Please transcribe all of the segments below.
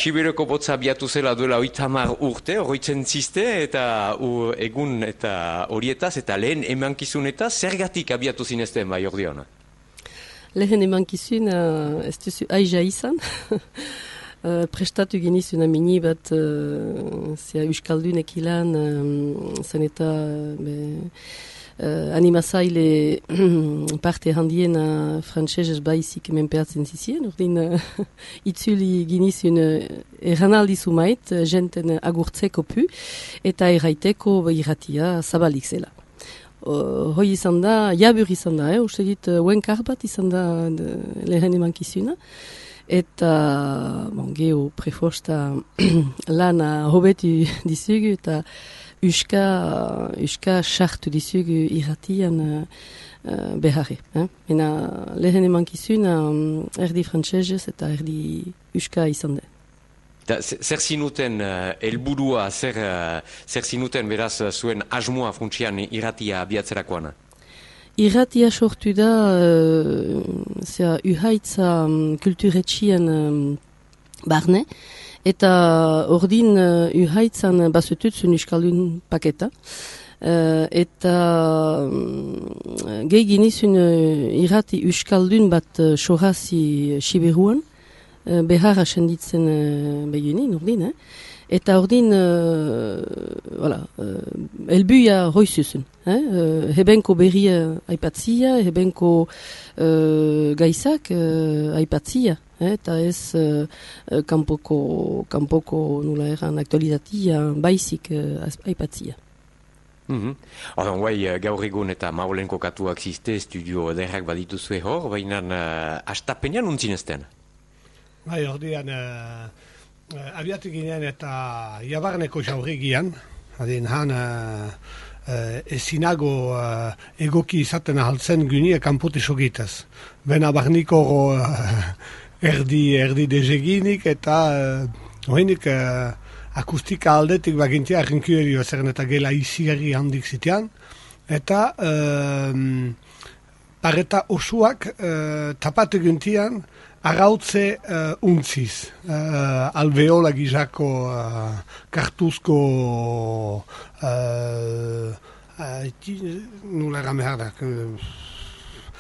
Siberioko botza abiatu zela duela 30 urte, oroitzen ziste, eta egun eta horietaz, eta lehen emankizunetaz, zergatik abiatu zinezten bai ordeona? Lehen emankizun, ez duzu aiza izan. Prestatu genizuna mini bat, zea Euskaldunek ilan, zen eta animazaile parte handiena frantsesez baizik menpeatzen zizien, ordin itzuli genizun erranaldi zumait, jenten agurtzeko pu, eta erraiteko irratia zabalik zela. Hoi izan da, jabur izan da, uste dit, uenkar bat izan da lehen emankizuna. Eta, geho, prefosta lana hobetu dizugu eta uska sartu dizugu irratian beharre. Ena lehen emankizuna erdi frantsesez eta erdi uska izan da. Zer zinuten helburua, zer zinuten beraz zuen asmoa funtsian irratia abiatzerakoana? Irratia sortu da uhaitza kulturetxien barne, eta ordin uhaitzan bazututzun Euskaldun paketa, eta gehi genizun irrati Euskaldun bat sorazi Siberuan, beharra senditzen begunin, ordin, eta ordin, elbuia hoizuzun. Hebenko berria aipatzia, hebenko gaizak aipatzia, eta ez kanpoko nula eran aktualitatea baizik aipatzia. Ordan, guai, gaur egun eta maulen kokatuak ziste, estudio ederrak badituzue hor, baina astapenean untzinezten? Bai, ordean, abiatu ginen eta jabarneko jaurregian, adin han ezinago egoki izaten ahaltzen gynie kanpotis ogitaz. Bena barniko erdi dezeginik eta hoinik akustika aldetik bagintia arrinkuerio zeren eta gela izigarri handik zitean. Eta pareta osuak tapatu guntian arrautze untziz, alveola gizako kartuzko nula erame hardak.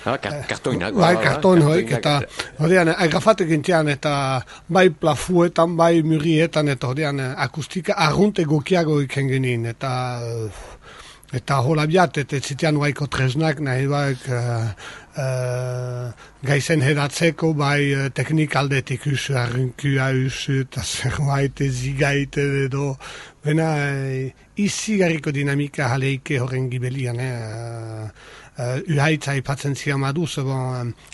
Kartoinak. Bai, karton hoik, eta horrean, agrafatu gintian, eta bai plafuetan, bai murietan, eta horrean, akustika arrunt egokiago iken genin, eta hola biat, eta zitean waiko tresnak, nahi baik gaizen hedatzeko, bai teknik aldetik usu, arrinkua usu, eta zerbait zigaite edo, bena izigarriko dinamika jaleike horren gibelian, uhaitza ipatzen zian maduz,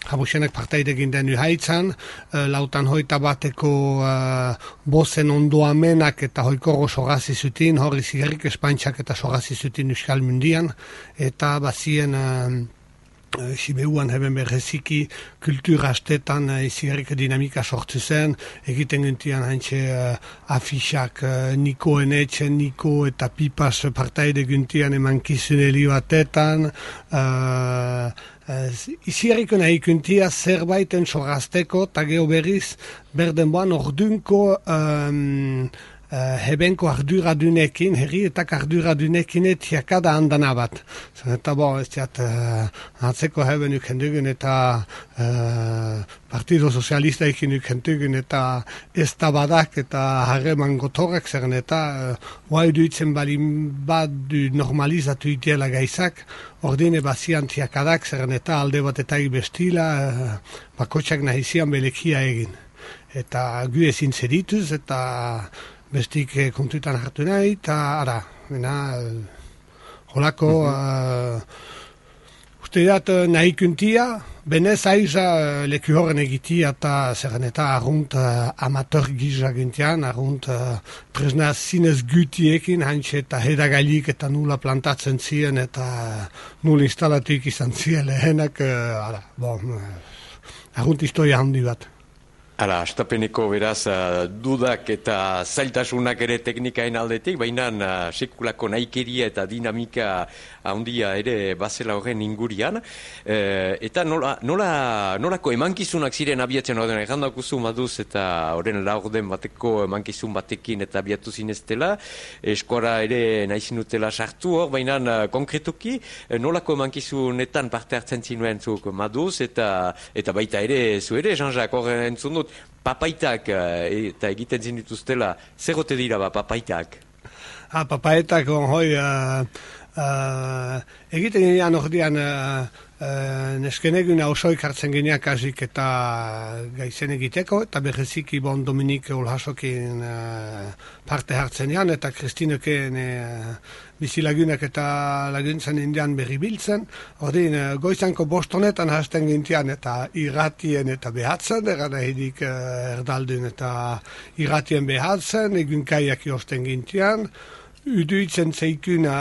jabusenek parteide ginden uhaitzan, lautan hoita bateko bozen ondoamenak eta hoikoro sogazi zutin, hori zigarrik espantxak eta sogazi zutin Euskal Mundian, eta bazien Sibeuan heben berreziki kultura astetan izigarrik dinamika sortu zen, egiten gintian haintxe afixak Niko Enetxe, Niko eta Pipas partaide gintian emankizun batetan, izigarriko nahi gintia zerbaiten sorazteko, eta geho berriz berdenboan ordunko hebenko arduradunekin, herri eta arduradunekin etiakada handana bat. Eta ez diat, atzeko heben ukendugun eta Partido Sozialista ekin ukendugun eta ez tabadak eta harreman gotorrak zeren eta guai duitzen balin bat du normalizatu itiela gaizak, ordine bazian tiakadak zeren eta alde bat eta bestila, bakotxak nahizian belekia egin. Eta gu ezin zerituz eta bestik kontuetan hartu nahi, eta ara, holako, uste dat nahi kuntia, benez aiza leku horren egitia eta zerren eta arrunt amateur gizak gintian, arrunt tresna zinez gutiekin, haintxe eta hedagailik eta nula plantatzen ziren eta nula instalatuik izan ziren lehenak, arrunt historia handi bat. Hala, astapeneko beraz dudak eta zailtasunak ere teknikaen aldetik, baina sekulako naikeria eta dinamika handia ere bazela horren ingurian. Eta nolako emankizunak ziren abiatzen horren errandakuzu maduz eta horren laurden bateko emankizun batekin eta abiatu zineztela, eskora ere nahizinutela sartu hor, baina konkretuki nolako emankizunetan parte hartzen zinuen zuk maduz eta baita ere zu ere, Jean-Jacques, horren entzun dut, papaitak eta egiten zinituztela, zer gote dira papaitak? Papaitak hoi egiten ginean ordean neskeneguna osoik hartzen gineak hasik eta gaizen egiteko, eta berreziki bon Dominik Olhasokin parte hartzen ean, eta Kristineken bizilagunak eta laguntzen indian berri biltzen. Ordin, goizanko bostonetan hasten gintian eta irratien eta behatzen, eranahidik erdaldun eta irratien behatzen, egunkaiak josten gintian. Uduitzen zeikuna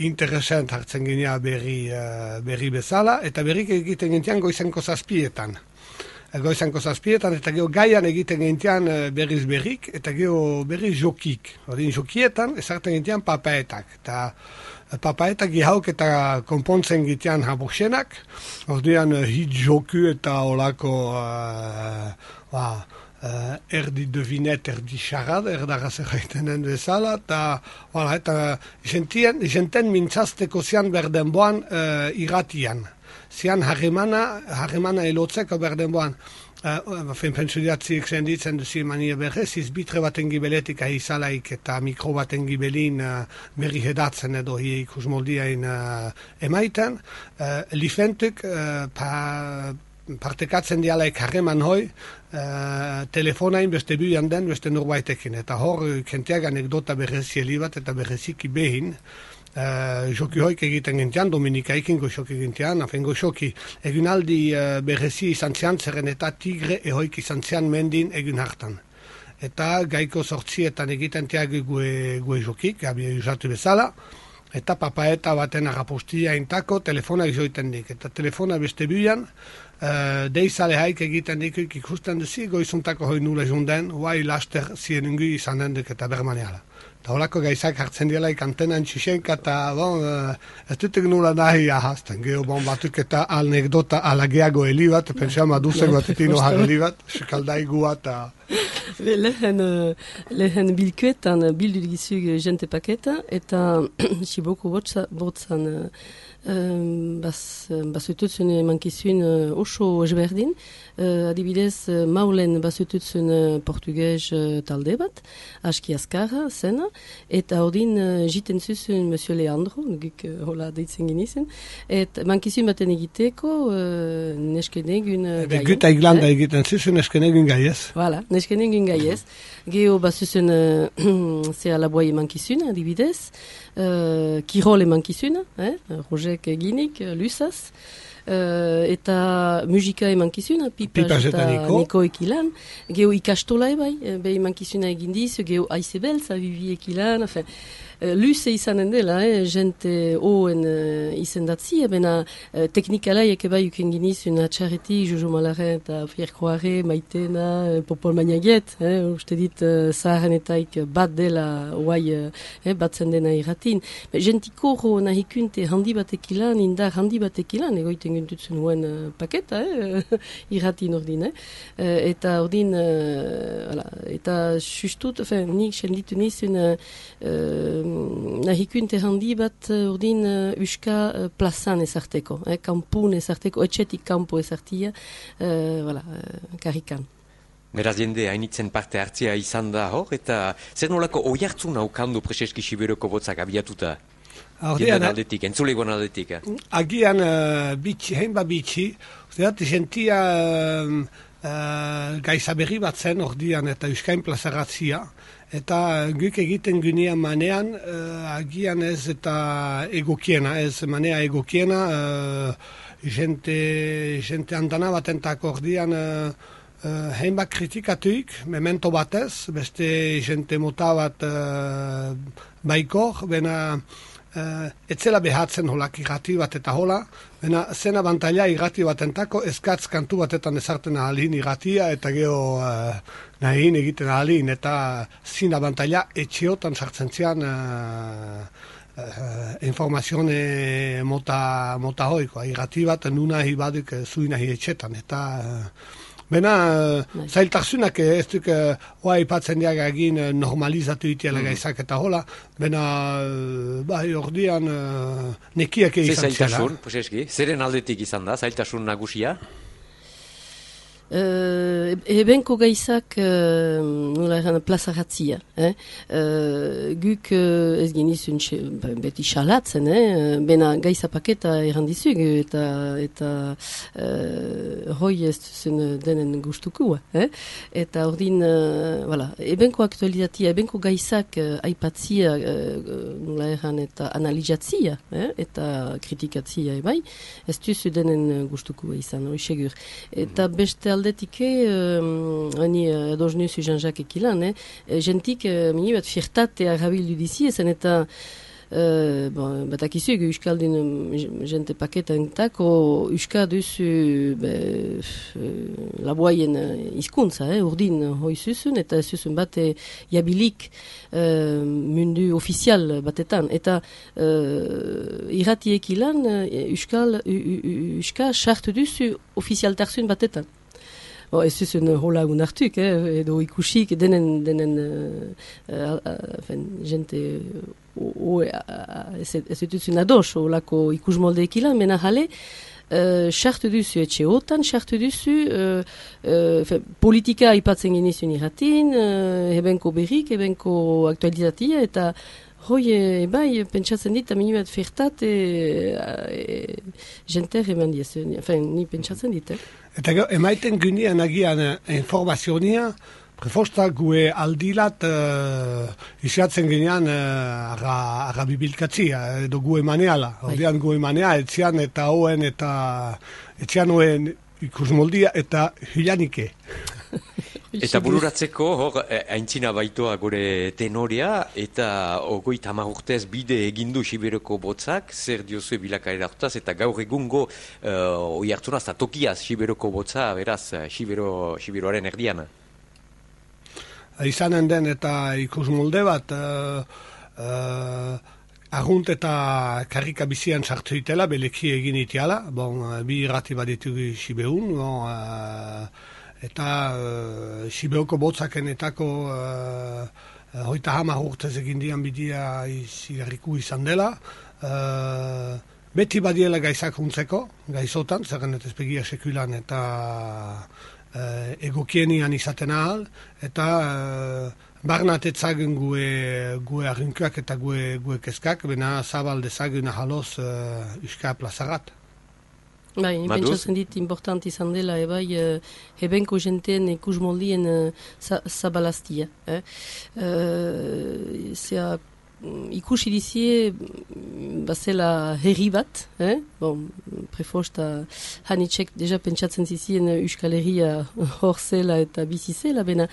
interesant hartzen ginea berri bezala, eta berrik egiten gintian goizanko zazpietan. Eta geho gaian egiten gintian berriz berrik, eta geho berriz jokik. Ordin jokietan, ezartzen gintian papaetak. Eta papaetak gihauk eta konpontzen gintian haborsenak. Ordean hit joku eta olako erdi devinet, erdi xarad, erdaraz erraitenen bezala, eta jenten mintzazteko zian berdenboan irratian. Zian harremana elotzeko berdenboan. Pentsudiatzik zenditzen duzi mania berrez, izbitre baten gibeletik ahizalaik eta mikro baten gibelin berri hedatzen edo ikus moldiain emaiten. Lifentuk partekatzen dialaik harreman hoi, telefonain beste buian den, beste norbaitekin. Eta hor, kentiak anekdota berrezieli bat eta berreziki behin, joki hoik egiten gintian, Dominika ikingo joki gintian, afengo joki egun aldi berrezi izan zian, zerren eta tigre ehoik izan zian mendin egun hartan. Eta gaiko sortzietan egiten tiag gue jokik, gabi usatu bezala, eta papaeta baten agapostia intako telefonak joiten dik. Eta telefona beste buian, deizale haik egiten dikuk ikusten duzi, goizuntako hoi nula junden, huai laster zienungu izan dendik eta bermaneala. Eta holako gaizak hartzen dielaik antenan txixenka eta ez dutek nula nahi ahazten. Geho batuk eta anekdota alageago heli bat, pentsa maduzen bat etino harri bat, sekaldaigu eta... Lehen bilkuetan bildu gizug jente paketa eta siboko botzan basututzen mankizun oso ezberdin. Adibidez, maulen basututzen portugez talde bat, aski azkarra zena, eta odin jiten zuzun Monsieur Leandro, guk hola deitzen ginizen, eta mankizun baten egiteko neskenegun gaiez. Gut aiglanda egiten zuzun neskenegun gaiez. Voilà, neskenegun gaiez. Geho basutzen zea laboi mankizun, adibidez, kirol mankizun, Rojek eginik, lusaz, eta musika emankizuna, Pipaz eta Niko ekilan, geho ikastola bai, behi emankizuna egindiz, geho aizebeltz, abibi ekilan, luze izanen dela, jente oen izendatzi, bena teknikalaiek bai uken giniz, una txarreti, Jojo Malaren eta Pierre Croare, Maitena, Popol Magnaget, uste dit zaharrenetaik bat dela, oai batzen dena irratin. Jentiko hor nahikunte handi batek ilan, indar handi batek ilan, egoiten guntutzen nuen paketa, irratin ordin, eta ordin, eta sustut, nik senditu nizun nahikunte handi bat ordin uska plazan ezarteko, kampun ezarteko, etxetik kampo ezartia, karrikan. Beraz jende hainitzen parte hartzia izan da hor, eta zer nolako oihartzun haukandu Preseski Siberoko botzak abiatuta? Jendean aldetik, entzulegoan aldetik. Agian bitxi, heinba bitxi, usteat jentia gaizaberri bat zen ordian eta Euskain plazaratzia, eta guk egiten gunean manean, agian ez eta egokiena, ez manea egokiena, jente andana batentako ordian heinbat kritikatuik, memento batez, beste jente mota bat baikor, bena etzela behatzen holak irrati bat eta hola, baina zen abantaila irrati batentako eskatz kantu batetan ezarten ahalin irratia eta geho nahin egiten ahalin eta zin abantaila etxeotan sartzen zian informazione mota hoiko, irrati bat nuna hibadik zuina hi etxetan eta bena, zailtasunak ez duk hoa ipatzen diaga egin normalizatu itiela gaizak eta hola, bena, ordian nekiak izan zela. Zailtasun, poseski, zeren aldetik izan da, zailtasun nagusia? Ebenko gaizak nola eran plazaratzia. Guk ez genizun beti xalatzen, bena gaiza paketa errandizug eta hoi ez zen denen gustuku. Eta ordin, ebenko aktualitatea, ebenko gaizak aipatzia nola eran eta analizatzia eta kritikatzia ebai, ez duzu denen gustuku izan, hori segur. Eta beste aldetike, hani ados nuzu Jean-Jacques ekilan, jentik mini bat firtate agabildu dizi, ezen eta batakizu egu euskaldun jente paketentako euska duzu laboaien izkuntza, urdin hoi zuzun, eta zuzun bate jabilik mundu ofizial batetan, eta irratiek ilan euska sartu duzu ofizialtarzun batetan. Ez zuzun hola unartuk, edo ikusik denen jente ez dutuzun ados holako ikusmoldeek ilan, mena jale, sartu duzu etxeotan, sartu duzu politika aipatzen genizun irratin, ebenko berrik, ebenko aktualizatia, eta hoi, bai, pentsatzen dit, aminibat fertat, jenter eman diezen, ni pentsatzen dit, Eta emaiten gynean agian informazionia, prefosta gue aldilat isiatzen ginean arra bibilkatzia, edo gue maneala. Ordean gue manea, etzian eta hoen eta etzian hoen ikusmoldia eta hilanike. Eta bururatzeko, hor, aintzina baitoa gure tenorea, eta 30 urtez bide egindu Siberoko botzak, zer diozue bilakaera hartaz, eta gaur egungo oi hartzunaz, eta tokiaz Siberoko botza, beraz, Siberoaren erdiana. Izanen den eta ikusmolde bat, argunt eta karrika bizian sartu itela, beleki egin itiala, bi irrati bat ditugu Sibeun, eta Siberoko botzakenetako 30 urtez egin dian bidia izigarriku izan dela. Beti badiela gaizak huntzeko, gaizotan, zerren ez begia sekulan eta egokienian izaten ahal, eta barnat etzagun gue arrinkoak eta gue kezkak, bena zabal dezagun ahaloz euska plazarat. Bai, pentsatzen dit important izan dela, ebenko jenteen ikusmoldien zabalaztia. Ikusi dizie, bazela herri bat, prefosta hanitxek deja pentsatzen zizien Euskal Herria hor zela eta bizi zela, bena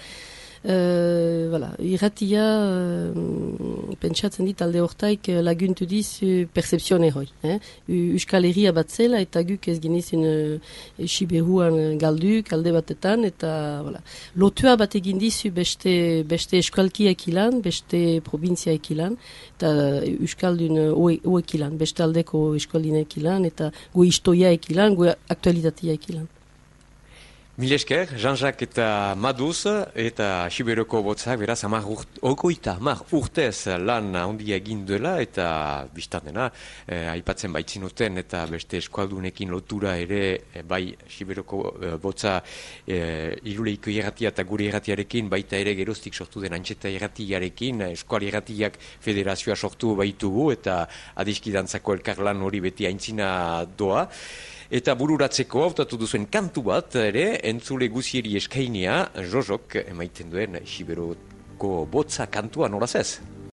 irratia pentsatzen dit alde hortaik laguntu diz percepzione hoi. Euskal Herria bat zela eta guk ez genizun Siberuan galduk alde batetan eta lotua bat egin dizu beste eskualkiak ilan, beste probintziaek ilan eta Euskaldun hoek ilan, beste aldeko eskualdinek ilan eta gu istoiaek ilan, gu aktualitateak ilan. Mil esker, Jean-Jacques eta Maduz, eta Siberoko botzak, beraz, 30 urtez lan handia egin duela, eta biztan dena, aipatzen baitzinuten, eta beste eskualdunekin lotura ere, bai Siberoko botza Iruleiko irratia eta gure irratiarekin, baita ere geroztik sortu den Antxeta irratiarekin, eskual irratiak federazioa sortu baitugu, eta adiskidantzako elkarlan hori beti aintzina doa. Eta bururatzeko hautatu duzuen kantu bat ere, entzule guzieri eskainia, Jojok emaiten duen Siberoko botza kantua noraz ez?